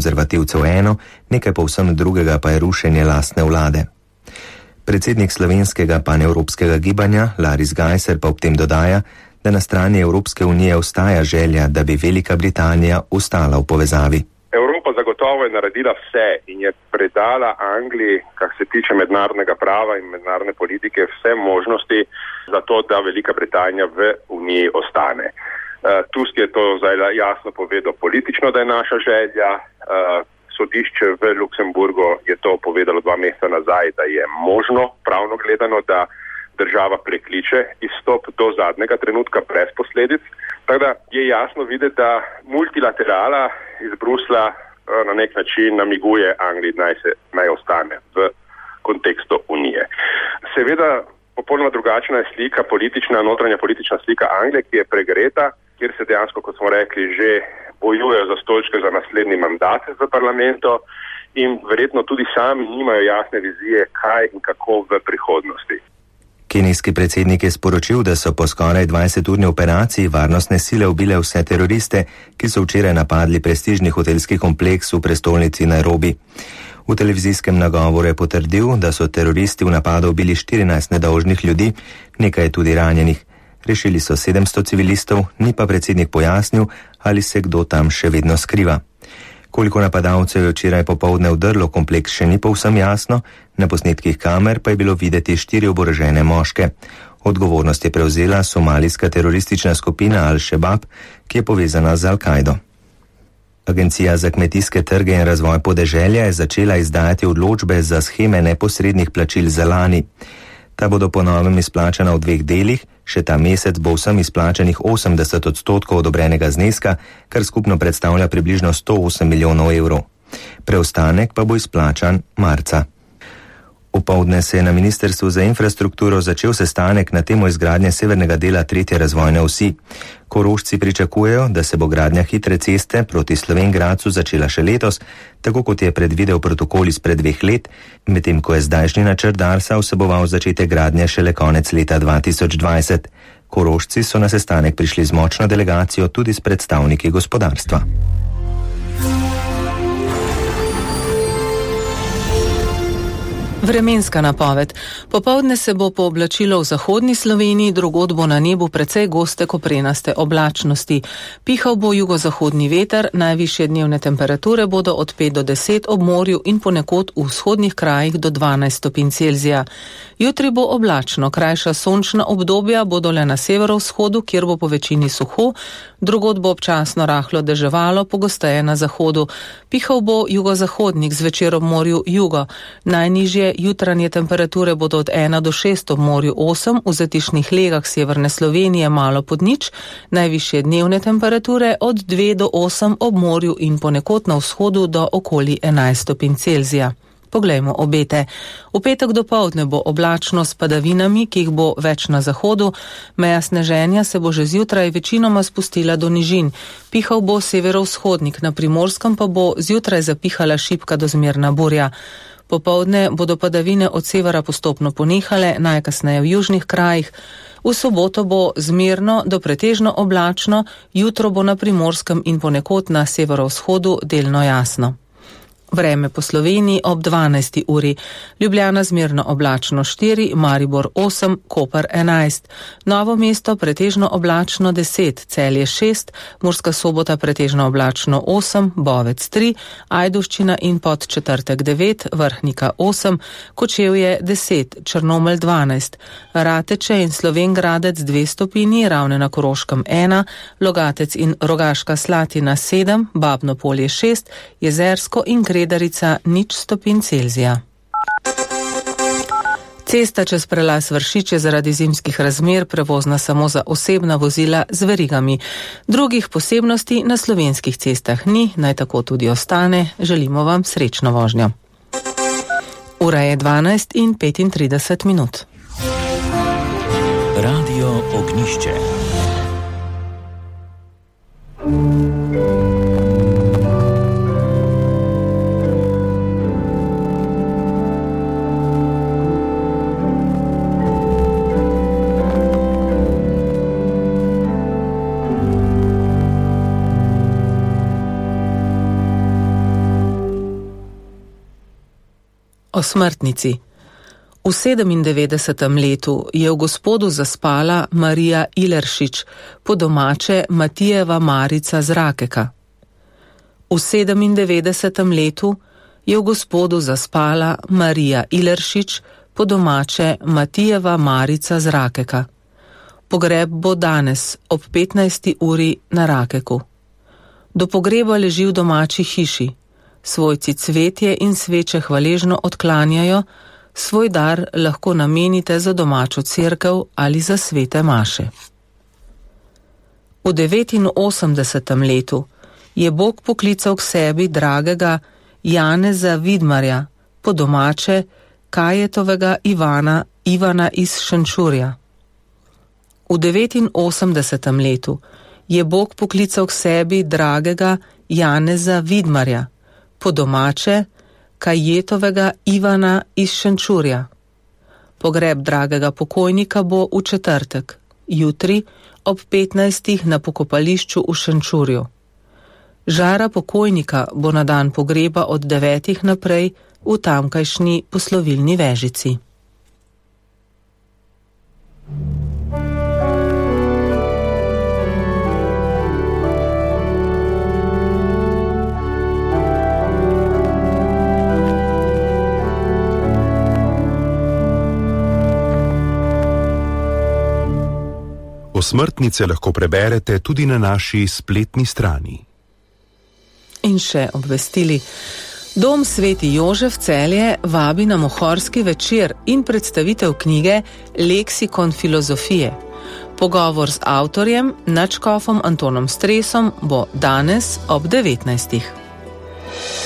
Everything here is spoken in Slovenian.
konzervativcev eno, nekaj povsem drugega pa je rušenje lastne vlade. Predsednik slovenskega panevropskega gibanja Laris Gajser pa ob tem dodaja, da na strani Evropske unije ostaja želja, da bi Velika Britanija ostala v povezavi. Evropa zagotovo je naredila vse in je predala Angliji, kar se tiče mednarodnega prava in mednarodne politike, vse možnosti za to, da Velika Britanija v Uniji ostane. Tusk je to zdaj jasno povedal politično, da je naša želja. Sodišče v Luksemburgu je to povedalo 2 meseca nazaj, da je možno, pravno gledano, da država prekliče izstop do zadnjega trenutka brez posledic. Tako da je jasno videti, da multilaterala iz Brusla na nek način namiguje Angliji, naj ostane v kontekstu Unije. Seveda, popolnoma drugačna je slika, notranja politična slika Anglije, ki je pregreta, kjer se dejansko, kot smo rekli, že bojujejo za stolčke za naslednji mandat v parlamentu in verjetno tudi sami nimajo jasne vizije, kaj in kako v prihodnosti. Kenijski predsednik je sporočil, da so po skoraj 20-urni operaciji varnostne sile ubile vse teroriste, ki so včeraj napadli prestižni hotelski kompleks v prestolnici Nairobi. V televizijskem nagovoru je potrdil, da so teroristi v napadu ubili 14 nedolžnih ljudi, nekaj je tudi ranjenih. Rešili so 700 civilistov, ni pa predsednik pojasnil, ali se kdo tam še vedno skriva. Koliko napadalcev je včeraj popoldne vdrlo kompleks, še ni povsem jasno, na posnetkih kamer pa je bilo videti 4 oborožene moške. Odgovornost je prevzela somalijska teroristična skupina Al-Shabaab, ki je povezana z Al-Kaido. Agencija za kmetijske trge in razvoj podeželja je začela izdajati odločbe za sheme neposrednih plačil za lani. Ta bodo po novem izplačana v 2 delih, še ta mesec bo vsem izplačanih 80% odobrenega zneska, kar skupno predstavlja približno 108 milijonov evrov. Preostanek pa bo izplačan marca. Opoldne se je na Ministrstvu za infrastrukturo začel sestanek na temo izgradnje severnega dela 3. razvojne osi. Korošci pričakujejo, da se bo gradnja hitre ceste proti Slovenj Gradcu začela še letos, tako kot je predvidel protokol izpred 2 let, medtem ko je zdajšnji načrt Darsa vseboval začetek gradnje šele konec leta 2020. Korošci so na sestanek prišli z močno delegacijo tudi s predstavniki gospodarstva. Vremenska napoved. Popoldne se bo pooblačilo v zahodni Sloveniji, drugod bo na nebu precej goste koprenaste oblačnosti. Pihal bo jugozahodni veter, najvišje dnevne temperature bodo od 5 do 10 ob morju in ponekod v vzhodnih krajih do 12 stopinj Celzija. Jutri bo oblačno, krajša sončna obdobja bodo le na severovzhodu, kjer bo po večini suho, drugod bo občasno rahlo deževalo, pogosteje na zahodu. Pihal bo jugozahodnik, zvečer ob morju jugo. Najnižje jutranje temperature bodo od 1 do 6 ob morju 8, v zatišnih legah severne Slovenije malo pod nič, najvišje dnevne temperature od 2 do 8 ob morju in ponekod na vzhodu do okoli 11 stopinj Celzija. Poglejmo obete. V petek dopoldne bo oblačno s padavinami, ki jih bo več na zahodu. Meja sneženja se bo že zjutraj večinoma spustila do nižin. Pihal bo severovzhodnik, na Primorskem pa bo zjutraj zapihala šibka do zmerna burja. Popoldne bodo padavine od severa postopno ponehale, najkasneje v južnih krajih. V soboto bo zmerno do pretežno oblačno, jutro bo na Primorskem in ponekod na severovzhodu delno jasno. Vreme po Sloveniji ob 12. uri. Ljubljana zmerno oblačno 4, Maribor 8, Koper 11. Novo mesto pretežno oblačno 10, Celje 6, Murska Sobota pretežno oblačno 8, Bovec 3, Ajdovščina in Podčetrtek 9, Vrhnika 8, Kočevje 10, Črnomelj 12, Rateče in Slovenj Gradec 2 stopinji, Ravne na Koroškem 1, Logatec in Rogaška Slatina 7, Babno Polje 6, Jezersko in Gredarica 0 stopinj Celzija. Cesta čez prelaz Vršič je zaradi zimskih razmer prevozna samo za osebna vozila z verigami. Drugih posebnosti na slovenskih cestah ni, naj tako tudi ostane. Želimo vam srečno vožnjo. Ura je 12:35 minut. Radio Ognišče. O smrtnici. V 97. letu je v Gospodu zaspala Marija Ileršič, po domače Matijeva Marica z Rakeka. V 97. letu je v Gospodu zaspala Marija Ileršič, po domače Matijeva Marica z Rakeka. Pogreb bo danes ob 15. uri na Rakeku. Do pogreba leži v domači hiši. Svojci cvetje in sveče hvaležno odklanjajo, svoj dar lahko namenite za domačo cerkev ali za svete maše. V 89. letu je Bog poklical k sebi dragega Janeza Vidmarja, po domače Kajetovega Ivana iz Šenčurja. V 89. letu je Bog poklical k sebi dragega Janeza Vidmarja, po domače Kajetovega Ivana iz Šenčurja. Pogreb dragega pokojnika bo v četrtek, jutri ob 15. na pokopališču v Šenčurju. Žara pokojnika bo na dan pogreba od 9. naprej v tamkajšnji poslovilni vežici. Smrtnice lahko preberete tudi na naši spletni strani. In še obvestili. Dom Sveti Jožef Celje vabi na mohorski večer in predstavitev knjige Leksikon filozofije. Pogovor z avtorjem, nadškofom Antonom Stresom, bo danes ob 19.